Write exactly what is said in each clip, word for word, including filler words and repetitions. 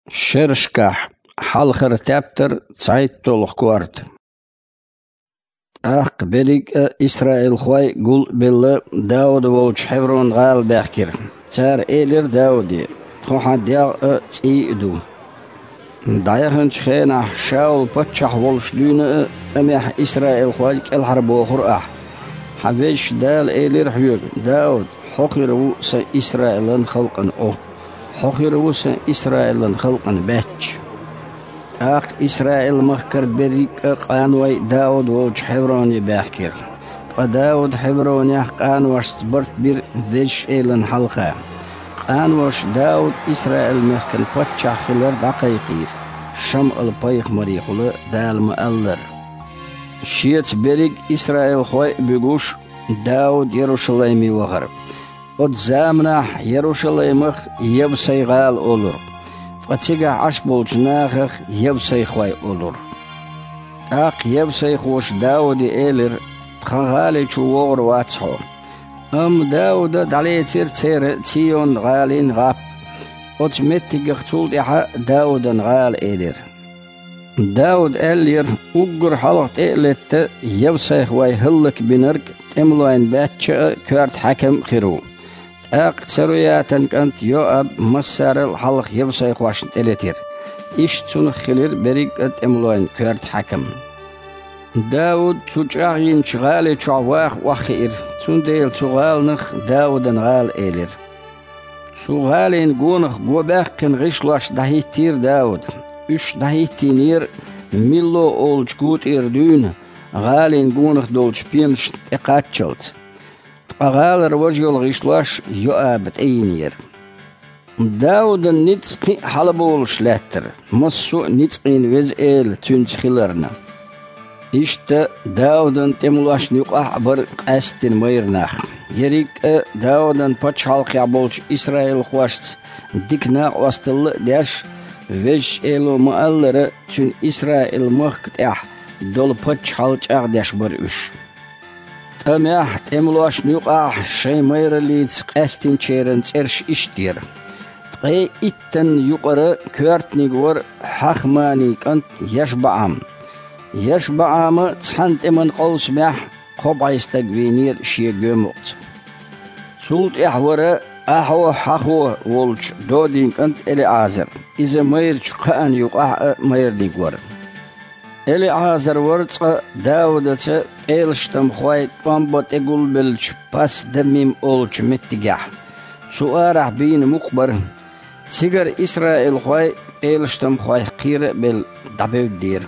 Шерашкахь хьалхара тептар, цхьайтталгӀа корта. ТӀаккха берриг а исраилхой гул а белла, Дауда волчу Хьеврон-гӀала баьхкира. Цара элира Дауде: «Тхо хьан дегӀ а, цӀий а ду». ДӀаяханчу хенахь Шаул-паччахь волуш дуьйна а, тӀамехь исраилхой кӀелхьарбохура ахь. Хьан Везачу Дала элира хьоьга: „Дауд, хьо хир ву сан Исраилан халкъана Ӏу. Хьо хир ву сан Исраилан халкъана баьчча“». ТӀаккха Исраил-махкара берриг а къаной Дауд волчу Хьевроне баьхкира. Ткъа Дауд Хьевронехь къаношца барт бира Везачу Элана хьалха. Къаноша Дауд Исраил-мехкан паччахь хилар дӀакхайкхийра, ШамӀал-пайхамарехула Дала ма-аллара. Шеца берриг исраилхой а буьгуш, Дауд Ярушалайме вахара. Оцу заманахь Ярушалаймах Евсай-гӀала олура, ткъа цигахь Ӏаш болчу нахах евсайхой олура. ТӀаккха евсайхоша Дауде элира: «Тхан гӀали чу вогӀур вац хьо». Амма Дауда дӀалецира церан Цион-гӀалин гӀап. Оцу меттигах цул тӀаьхьа Даудан-гӀала элира. Дауда аьллера: «Уггар хьалха тӀе а летта, евсайхой хӀаллакбинарг тӀемалойн баьчча а, коьрта хьаькам а хир ву». ТӀаккха Царуятан кӀант Йоаб массарал а хьалха евсайхошна тӀелетира. Иштта цунах хилира берриг а тӀемалойн коьрта хьаькам. Дауд цу чӀагӀйинчу гӀали чохь ваха охьахиира, цундела цу гӀаланах Даудан-гӀала элира. Цу гӀалин гонах го баьккхина гӀишлош дӀахӀиттийра Дауда. Уьш дӀахӀиттийнера Милло олучу гу тӀера дуьйна, гӀалин гонах долчу пенашна тӀекхаччалц. Ткъа гӀалара важа йолу гӀишлош Йоаба тӀейинера. Даудан ницкъ кхин а хьалаболуш лаьттара, массо а ницкъийн Веза Эла цуьнца хиларна. Иштта Даудан тӀемалошна юкъахь а бара къаьсттина майра нах. Ерриг а Даудан пачхьалкхехь болчу исраилхошца дика накъосталла а деш, Везачу Эло ма-аллара, цуьнан Исраил-махка тӀехь долу пачхьалла чӀагӀдеш бара уьш. ТӀамехь тӀемалошна юкъахь шайн майраллица къаьстинчеран цӀераш иштта яра. Ткъе иттанна юкъара коьртаниг вара Хьахманин кӀант ЯшбаӀам. ЯшбаӀама цхьана тӀеман къовсамехь кхо бӀе стаг вийнера шен гоьмукъца. Цул тӀаьхьа вара Ахьо-Хьахо волчу Додин кӀант ЭлиӀазар. Иза майрачу кхаанна юкъахь а майраниг вара. ЭлиӀазар вара цкъа Даудаца пӀелаштамхой тӀом бан тӀе гулбеллачу Пас-Дамим олучу меттигехь. Цу арахь бийна мукъа бара. Цигара исраилхой пӀелаштамхойх кхера а белла дӀабевддера.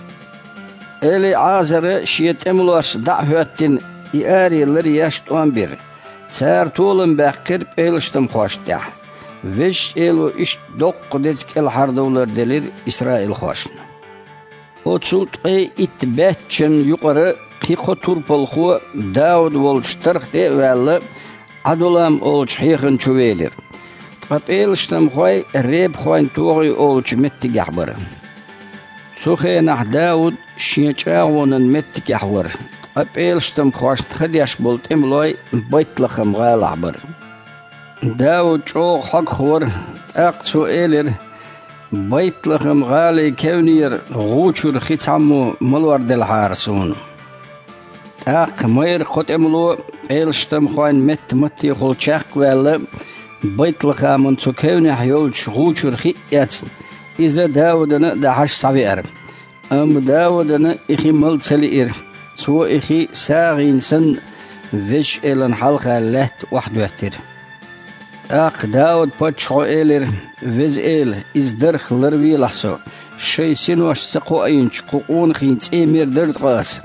ЭлиӀазара шен тӀемалошца дӀа а хӀоьттина, и аре ларъеш тӀом бира. Цара толам баьккхира пӀелаштамхошна тӀехь. Везачу Эло иштта доккха деза кӀелхьардовлар делира исраилхошна. Оцу ткъе итт баьччанна юкъара кхин кхо турпалхо Дауда волчу тарх тӀе а ваьлла, Ӏадулам олучу хьехана чу велира. Ткъа пӀелаштамхой Ребахойн-ТогӀи олучу меттигехь бара. Цу хенахь Дауд шен чӀагӀонан меттигехь вара, ткъа пӀелаштамхошна хадеш болу тӀемалой Байтлахам-гӀалахь бара. Дауд чӀогӀа хьогах вара, тӀаккха цо элира: «Байтлахам-гӀалин кевнера гӀу чуьра хи цхьаммо ма лорделахьара суна». ТӀаккха майра кхо тӀемало пӀелаштамхойн метта-маттехула чехка а ваьлла, Байтлахаман цу кевнехь йолчу гӀу чуьра хи а эцна, иза Даудана а дахьаш схьавеара. Амма Даудана и хи мала ца лиира, цо и хи сагӀина санна Везачу Элана хьалха лаьтта охьадоьттира. ТӀаккха Дауд-паччахьо элира: «Веза Эла, иза дарх ларвелахь со, шайн синош ца кхоийначу кху къонахийн цӀе мер дара ткъа аса.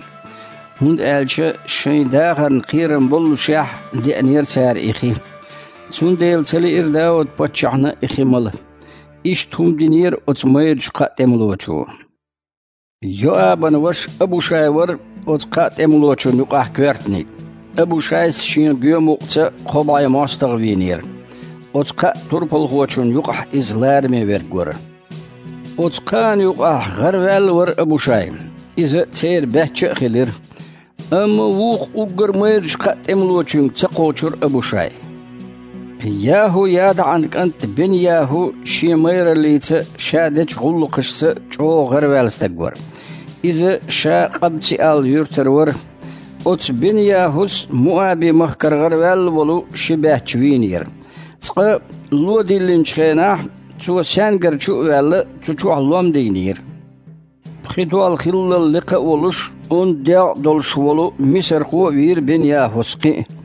ХӀунда аьлча шайн дахарна кхерам боллушехь деанера цара и хи». Цундела ца лиира Дауд-паччахьна и хи мала. Иштта хӀума динера оцу майрачу кхаа тӀемалочо. Йоабан ваша Абушай вара оцу кхаа тӀемалочун юкъахь коьртаниг. Абушайс шен гоьмукъца кхо бӀе мостагӀа вийнера. Оцу кхаа турпалхочун юкъахь иза лараме верг вара. Оцу кхаанна юкъахь гӀараваьлла вара Абушай. Иза церан баьчча а хилира. Амма вукху уггар майрачу кхаа тӀемалочуьнга ца кхочура Абушай. Яху-ЯдаӀан кӀант Бен-Яху шен майраллица, ша дечу гӀуллакхашца чӀогӀа гӀараваьлла стаг вара. Иза ша Къабци-Ал юьртара вара. Оцу Бен-Яхус Муаби-махкара гӀараваьлла волу ши баьчча вийнера. Цкъа ло диллинчу хенахь, цо саьнгара чу а ваьлла, цу чохь лом дийнера. Пхи дол хиллал лекха а волуш, онда дегӀ а долуш волу мисархо а вийра Бен-Яхус кхин а.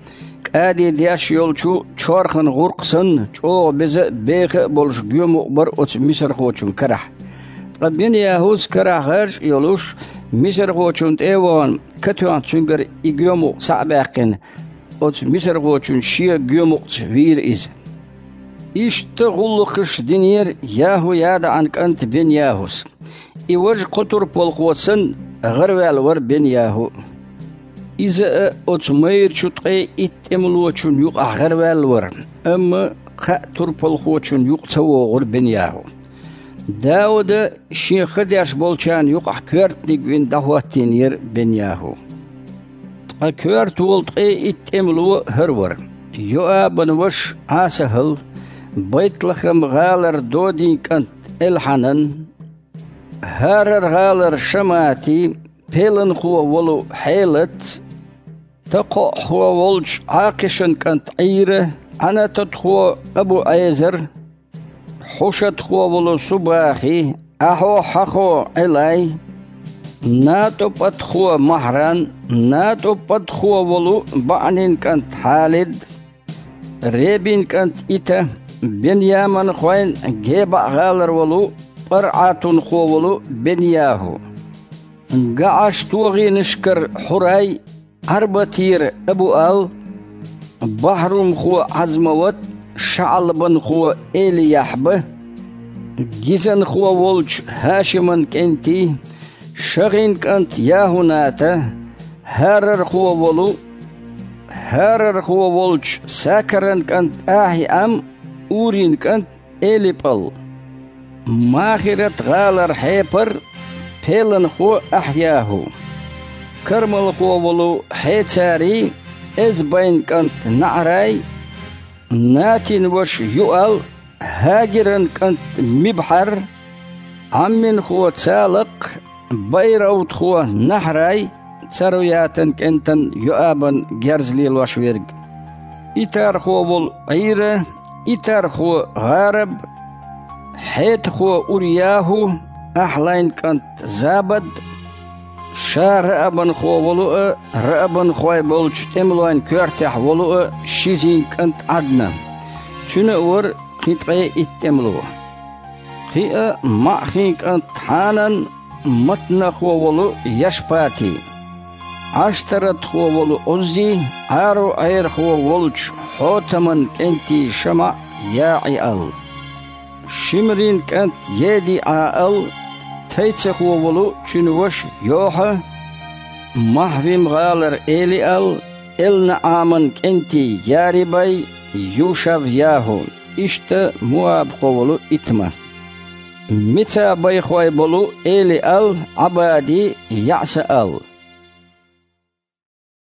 КӀади деш йолчу чорхан гӀуркх санна, чӀогӀа беза а, беха а болуш гоьмукъ бара оцу мисархочун карахь. Ткъа Бен-Яхус карахь гӀаж а йолуш, мисархочунна тӀе а вахана, катоьхна цуьнгара и гоьмукъ схьа а баьккхина, оцу мисархочун шен гоьмукъца вийра иза. Иштта гӀуллакхаш динера Яху-ЯдаӀан кӀант Бен-Яхус. И важа кхо турпалхо санна, гӀараваьлла вара Бен-Яху. Иза а оцу майрачу ткъе итт тӀемалочун юкъахь гӀараваьлла вара, амма кхаа турпалхочун юкъа ца вогӀура Бен-Яху. Дауда шен ха деш болчарна юкъахь коьртаниг вина дӀахӀоттийнера Бен-Яху. Ткъа коьрта волу ткъе итт тӀемало хӀара вара: Йоабан ваша ӀасахӀал, Байтлахам-гӀалара Додин кӀант Элхьанан, ХӀарар-гӀалара Шамати, пеланхо волу Хьелац, такхоъхо волчу Ӏакхишан кӀант Ӏийра, Ӏанататхо Абу-Ӏезар, хьушатхо волу Субахи, ахьо-хьахо Ӏелай, натӀупатхо Махьран, натӀупатхо волу БаӀнин кӀант Хьалид, Ребин кӀант Ита, беньяманхойн ГебаӀ-гӀалара волу ПарӀатунхо волу Бен-Яху, ГаӀаш-тогӀинашкара Хьурай, Ӏарбатера Абу-Ал, бахьрумхо Ӏазмават, шаӀалбанхо Эли-Яхьба, гизанхо волчу ХӀашиман кӀентий, ШагӀин кӀант Яхуната, хӀарархо волу, хӀарархо волчу Сакаран кӀант АхьиӀам, Урин кӀант ЭлипӀал, Махират-гӀалара Хьепар, пеланхо АхьЯхӀу, кармалхо волу Хьецарий, Эзбайн кӀант НаӀрай, Натин ваша Юал, ХӀагиран кӀант Мибхьар, Ӏамминхо Цалакх, байравтхо Нахьрай, Царуятан кӀентан Йоабан герз лелош верг, итархо волу Ӏийра, итархо ГӀараб, хьетахо Уряху, Ахьлайн кӀант Забад, ша раабанхо волу а, раабанхой болчу тӀемалойн коьртехь волу а Шизин кӀант Ӏадна. Цуьнан а вара кхин ткъе итт тӀемало. Кхин а МаӀхин кӀант Хьанан, матнахо волу Яшпати, Ӏаштаратхо волу Ӏуззи, Ӏаро-Ӏерахо волчу Хьотаман кӀентий ШамаӀ, ЯӀиал, Шимрин кӀант ЕдиӀаал, тайцахо волу цуьнан ваша Йохьа, Махьвим-гӀалара Элиал, ЭлнаӀаман кӀентий Ярибай, Юшав-ЯхӀу, иштта муабхо волу Итма. Мицабайхой болу Элиал, Ӏабади, ЯӀсаал,